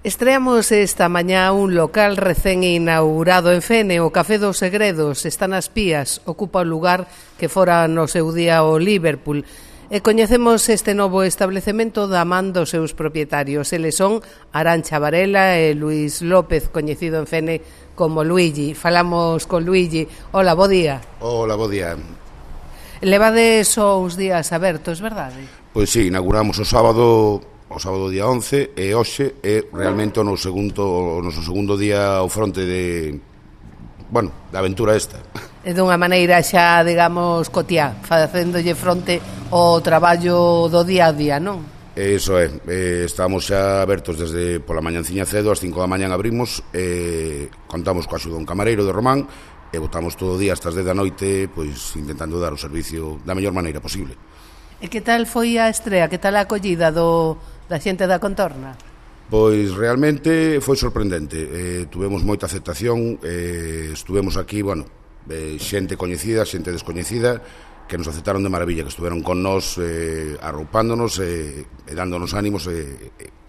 Estreamos esta mañá un local recén inaugurado en Fene, o Café dos Segredos. Está nas Pías, ocupa o lugar que fora no seu día o Liverpool. E coñecemos este novo establecemento da man dos seus propietarios. Eles son Arantxa Varela e Luís López, coñecido en Fene como Luigi. Falamos con Luigi. Hola, bo día. Hola, bo día. Levades só uns días abertos, verdade? Pois sí, inauguramos o sábado día 11 e hoxe é realmente o noso segundo día ao fronte de aventura esta. E dunha maneira xa, digamos, cotiá, facéndolle fronte ao traballo do día a día, non? Eso é, estamos xa abertos desde pola mañanciña cedo, ás 5 da mañan abrimos, contamos coa axuda dun camareiro de Román e botamos todo o día hasta as 10 da noite, pois intentando dar o servicio da mellor maneira posible. E que tal foi a estrea, que tal a acollida da xente da contorna? Pois realmente foi sorprendente, tuvemos moita aceptación, estuvemos aquí, xente coñecida, xente descoñecida, que nos aceptaron de maravilla, que estuveron con nós arroupándonos e dándonos ánimos,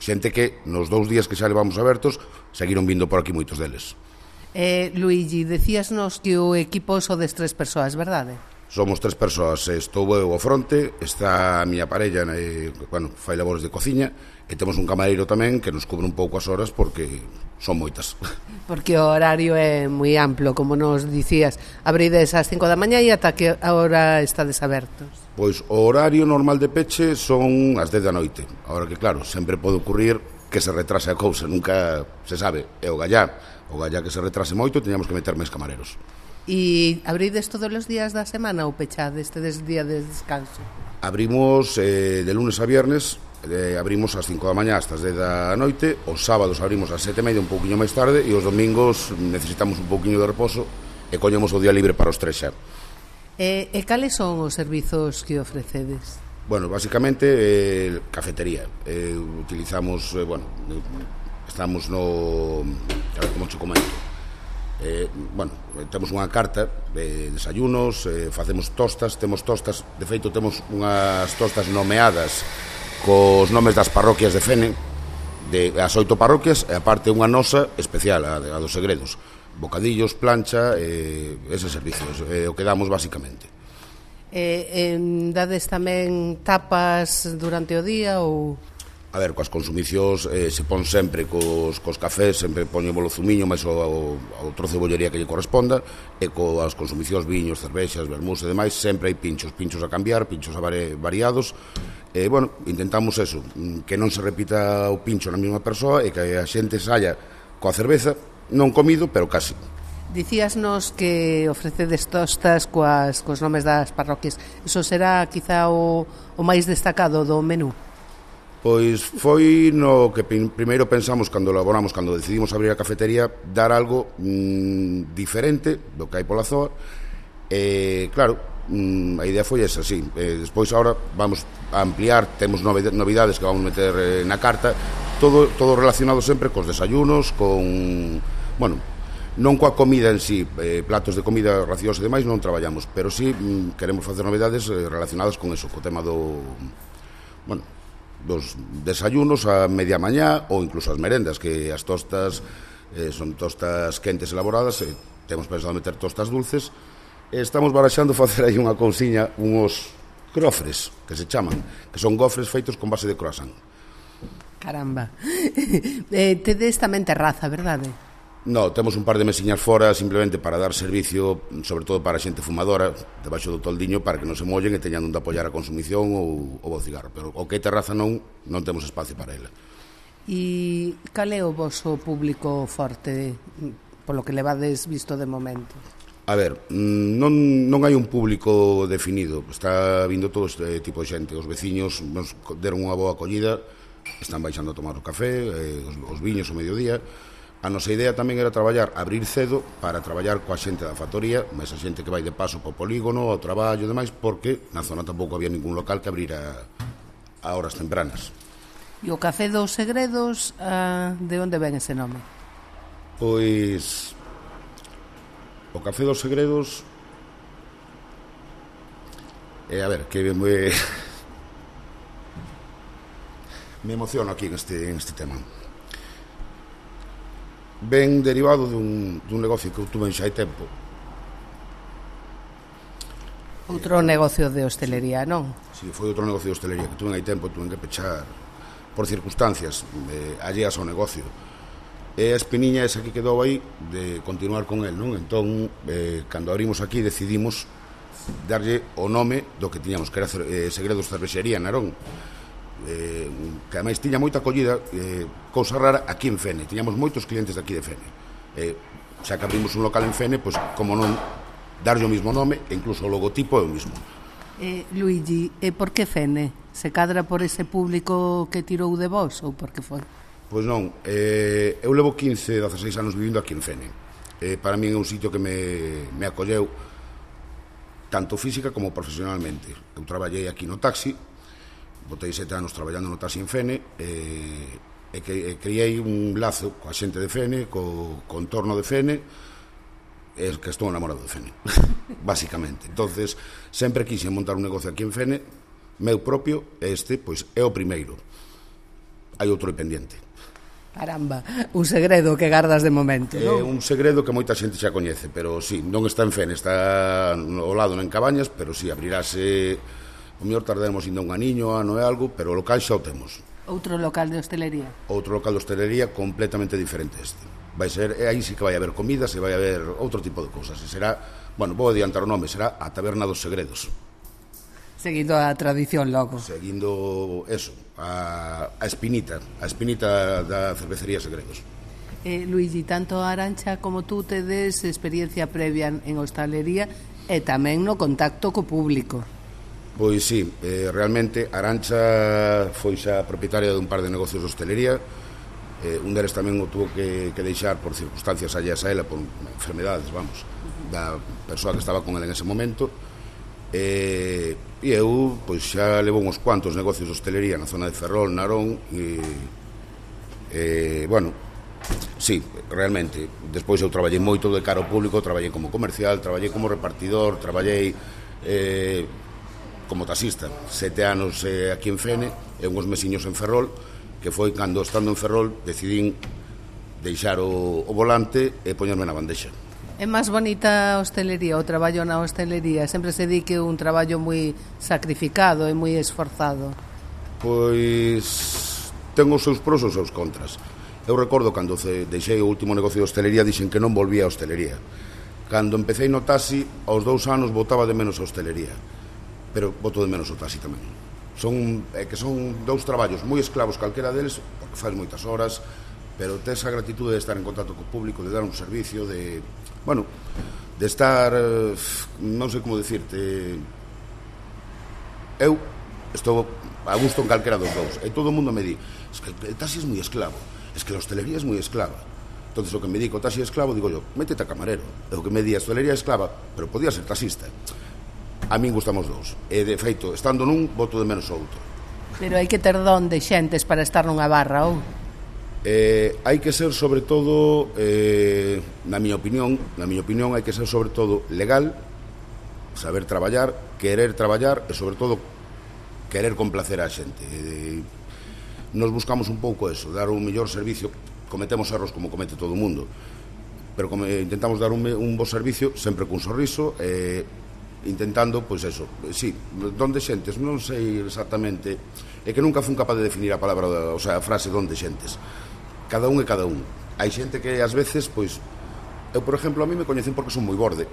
xente que nos 2 días que xa levamos abertos seguiron vindo por aquí moitos deles. Luigi, decíasnos que o equipo sodes 3 persoas, verdade? Somos 3 persoas, estou eu ao fronte, está a miña parella, fai labores de cociña, e temos un camareiro tamén que nos cubre un pouco as horas porque son moitas. Porque o horario é moi amplo, como nos dicías, abrides ás 5 da mañá e ata que hora estades abertos? Pois o horario normal de peche son as 10 da noite, agora que claro, sempre pode ocurrir que se retrase a cousa, nunca se sabe, é o gallá que se retrase moito e teñamos que meter máis camareros. E abrides todos os días da semana ou pechades, tedes día de descanso? Abrimos de lunes a viernes, abrimos ás 5 da mañá hasta as 10 da noite, os sábados abrimos ás 7:30, un pouquiño máis tarde, e os domingos necesitamos un pouquiño de reposo e coñemos o día libre para os 3 xa. E cales son os servizos que ofrecedes? Basicamente cafetería, utilizamos, estamos no... a ver como te comento. Temos unha carta de desayunos, facemos tostas, de feito temos unhas tostas nomeadas cos nomes das parroquias de Fene, as 8 parroquias, e aparte unha nosa especial, a dos Segredos, bocadillos, plancha, eses servicios, o que damos basicamente. Dades tamén tapas durante o día ou... A ver, coas consumicións se pon sempre cos cafés, sempre poñemos o zumiño máis o trozo de bollería que lle corresponda, e coas consumicións, viños, cervexas, vermús e demais, sempre hai pinchos a cambiar, pinchos variados, e intentamos eso, que non se repita o pincho na mesma persoa e que a xente saia coa cerveza, non comido, pero casi. Dicíasnos que ofrecedes tostas cos nomes das parroquias, iso será quizá o máis destacado do menú? Pois foi no que primeiro pensamos cando decidimos abrir a cafetería, dar algo diferente do que hai pola zoa, e claro, a idea foi esa, sí. Despois agora vamos a ampliar, temos novidades que vamos meter na carta, todo relacionado sempre cos desayunos, non coa comida en sí, platos de comida, racións e demais non traballamos, pero sí queremos facer novidades relacionadas con eso, co tema dos desayunos a media mañá ou incluso as merendas, que as tostas son tostas quentes elaboradas, temos pensado meter tostas dulces, e estamos baraxando facer aí unha cousiña, uns crofres que se chaman, que son gofres feitos con base de croissant. Caramba. Tedes tamén terraza, verdade? No, temos un par de mesiñas fora simplemente para dar servicio, sobre todo para a xente fumadora, debaixo do toldiño, para que non se mollen e teñan onde apoiar a consumición ou o cigarro, pero o que é terraza non temos espacio para ela. E cal é o voso público forte, polo que levades visto de momento? A ver, non hai un público definido, está vindo todo este tipo de xente, os veciños nos deron unha boa acollida, están baixando a tomar o café, os viños ao mediodía. A nosa idea tamén era abrir cedo para traballar coa xente da factoría, mas a xente que vai de paso po polígono, ao traballo e demais, porque na zona tampouco había ningún local que abrira a horas tempranas. E o Café dos Segredos, de onde ven ese nome? Pois o Café dos Segredos a ver, que me emociono aquí en este tema. ven derivado dun negocio que eu tuve xa hai tempo. Outro negocio de hostelería, non? Si, foi outro negocio de hostelería que tuve hai tempo, tuve que pechar por circunstancias alleas ao negocio. E a espiniña esa que quedou aí de continuar con el, non? Entón, cando abrimos aquí decidimos darlle o nome do que tiñamos, que era Segredos Cervexería Narón, que ademais tiña moita acollida, cousa rara, aquí en Fene. Tiñamos moitos clientes de aquí de Fene. Xa que abrimos un local en Fene, pois, como non, darlle o mismo nome, e incluso o logotipo é o mismo. Luigi, por que Fene? Se cadra por ese público que tirou de vos, ou por que foi? Pois non, eu levo 16 anos vivindo aquí en Fene. Para mí é un sitio que me acolleu tanto física como profesionalmente. Eu traballei aquí no taxi, botei 7 anos traballando no taxi en Fene, e criei un lazo coa xente de Fene, co entorno de Fene, e que estou enamorado de Fene, basicamente. Entonces, sempre quise montar un negocio aquí en Fene, meu propio, este, pois, é o primeiro. Hai outro pendiente. Caramba, un segredo que gardas de momento, non? É un segredo que moita xente xa coñece, pero sí, non está en Fene, está ao lado en Cabañas, pero sí, abrirase, o mellor tardaremos indo un aniño, ano e algo, pero o local xa o temos. Outro local de hostelería? Outro local de hostelería completamente diferente este. Vai ser, aí sí que vai haber comidas e vai haber outro tipo de cousas. E será, bueno, vou adiantar o nome, será a Taberna dos Segredos. Seguindo a tradición logo. Seguindo eso, a espinita da cervecería Segredos. Luigi, tanto Arantxa como tú tedes experiencia previa en hostalería e tamén no contacto co público. Pois sí, realmente Arantxa foi xa propietaria dun par de negocios de hostelería. Un deles tamén o tuvo que deixar por circunstancias alleas a ela, por enfermedades, vamos, da persoa que estaba con ela en ese momento. E eu pois xa levo uns cuantos negocios de hostelería na zona de Ferrol, Narón, e bueno, sí, realmente despois eu traballei moito de cara ao público, traballei como comercial, traballei como repartidor, traballei como taxista 7 anos aquí en Fene e uns mesiños en Ferrol, que foi cando, estando en Ferrol, decidín deixar o volante e poñerme na bandexa. É máis bonita a hostelería, o traballo na hostelería? Sempre se di que é un traballo moi sacrificado e moi esforzado. Pois ten os seus pros e os seus contras. Eu recordo cando deixei o último negocio de hostelería, dixen que non volvía a hostelería. Cando empecé no taxi, aos 2 anos botaba de menos a hostelería, pero boto de menos o taxi tamén. Son 2 traballos moi esclavos calquera deles, porque faz moitas horas, pero tes a gratitude de estar en contacto co público, de dar un servicio, de estar, non sei como dicirte, eu estou a gusto en calquera dos dous, e todo o mundo me di, es que el taxi es moi esclavo, es que la hostelería es moi esclava. Entonces o que me di co taxi esclavo, digo yo, métete a camarero. E o que me di a hostelería esclava, pero podía ser taxista. A min gustamos dous, e de feito, estando nun, boto de menos o outro. Pero hai que ter don de xentes para estar nunha barra, ou? Hai que ser sobre todo, na miña opinión hai que ser sobre todo legal, saber traballar, querer traballar e sobre todo querer complacer a xente. Nos buscamos un pouco eso, dar un mellor servicio. Cometemos erros como comete todo o mundo, pero intentamos dar un bo servicio sempre cun sorriso, intentando, pois eso, sí, donde xentes, non sei exactamente, é que nunca fun capaz de definir a palabra, o sea, a frase donde xentes. Cada un é cada un. Hai xente que ás veces, pois, eu, por exemplo, a mí me coñecen porque son moi borde,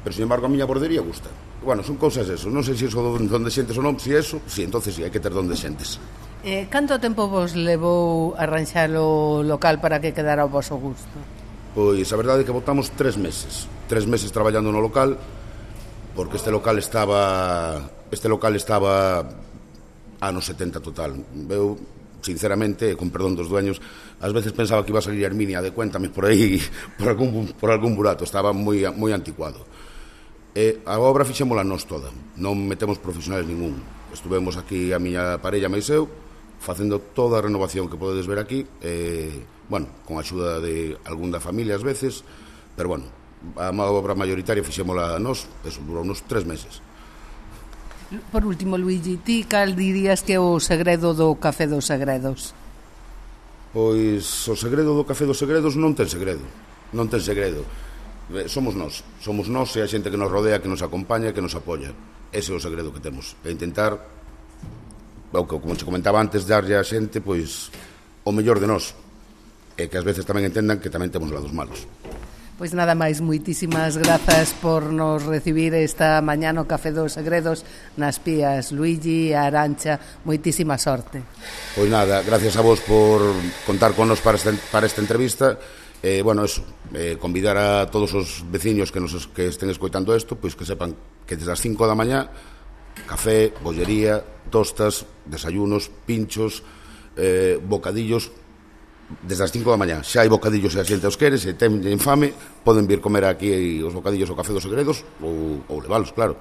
pero, sin embargo, a miña bordería gusta. Bueno, son cousas eso, non sei se iso donde xentes ou non, si eso, si, entonces si, hai que ter donde xentes. Canto tempo vos levou arranxar o local para que quedara ao vosso gusto? Pois a verdade é que botamos 3 meses traballando no local, porque este local estaba anos 70 total. Eu, sinceramente, con perdón dos dueños, ás veces pensaba que iba a salir Herminia de Cuéntame por aí, por algún burato, estaba moi anticuado. A obra fixémola nós toda, non metemos profesionales ningún. Estuvemos aquí a miña parella máis eu, facendo toda a renovación que podedes ver aquí, con a axuda de algún da familia ás veces, pero bueno, a obra mayoritaria fixémola nós, eso, durou uns 3 meses. Por último, Luigi, ti cal dirías que é o segredo do Café dos Segredos? Pois o segredo do Café dos Segredos non ten segredo. Non ten segredo. Somos nós e a xente que nos rodea, que nos acompaña, que nos apoia. Ese é o segredo que temos. E intentar, como te comentaba antes, darlle a xente pois o mellor de nós. E que ás veces tamén entendan que tamén temos lados malos. Pois nada máis, moitísimas grazas por nos recibir esta mañá no Café dos Segredos nas Pías, Luigi e Arancha. Moitísima sorte. Pois nada, gracias a vos por contar con nos para esta entrevista. Convidar a todos os veciños que estén escoitando isto, pois que sepan que desde as 5 da mañá café, bollería, tostas, desayunos, pinchos, bocadillos. Desde as 5 da mañá xa hai bocadillos se a xente os quere, se ten fame poden vir comer aquí os bocadillos ao Café dos Segredos ou levalos, claro.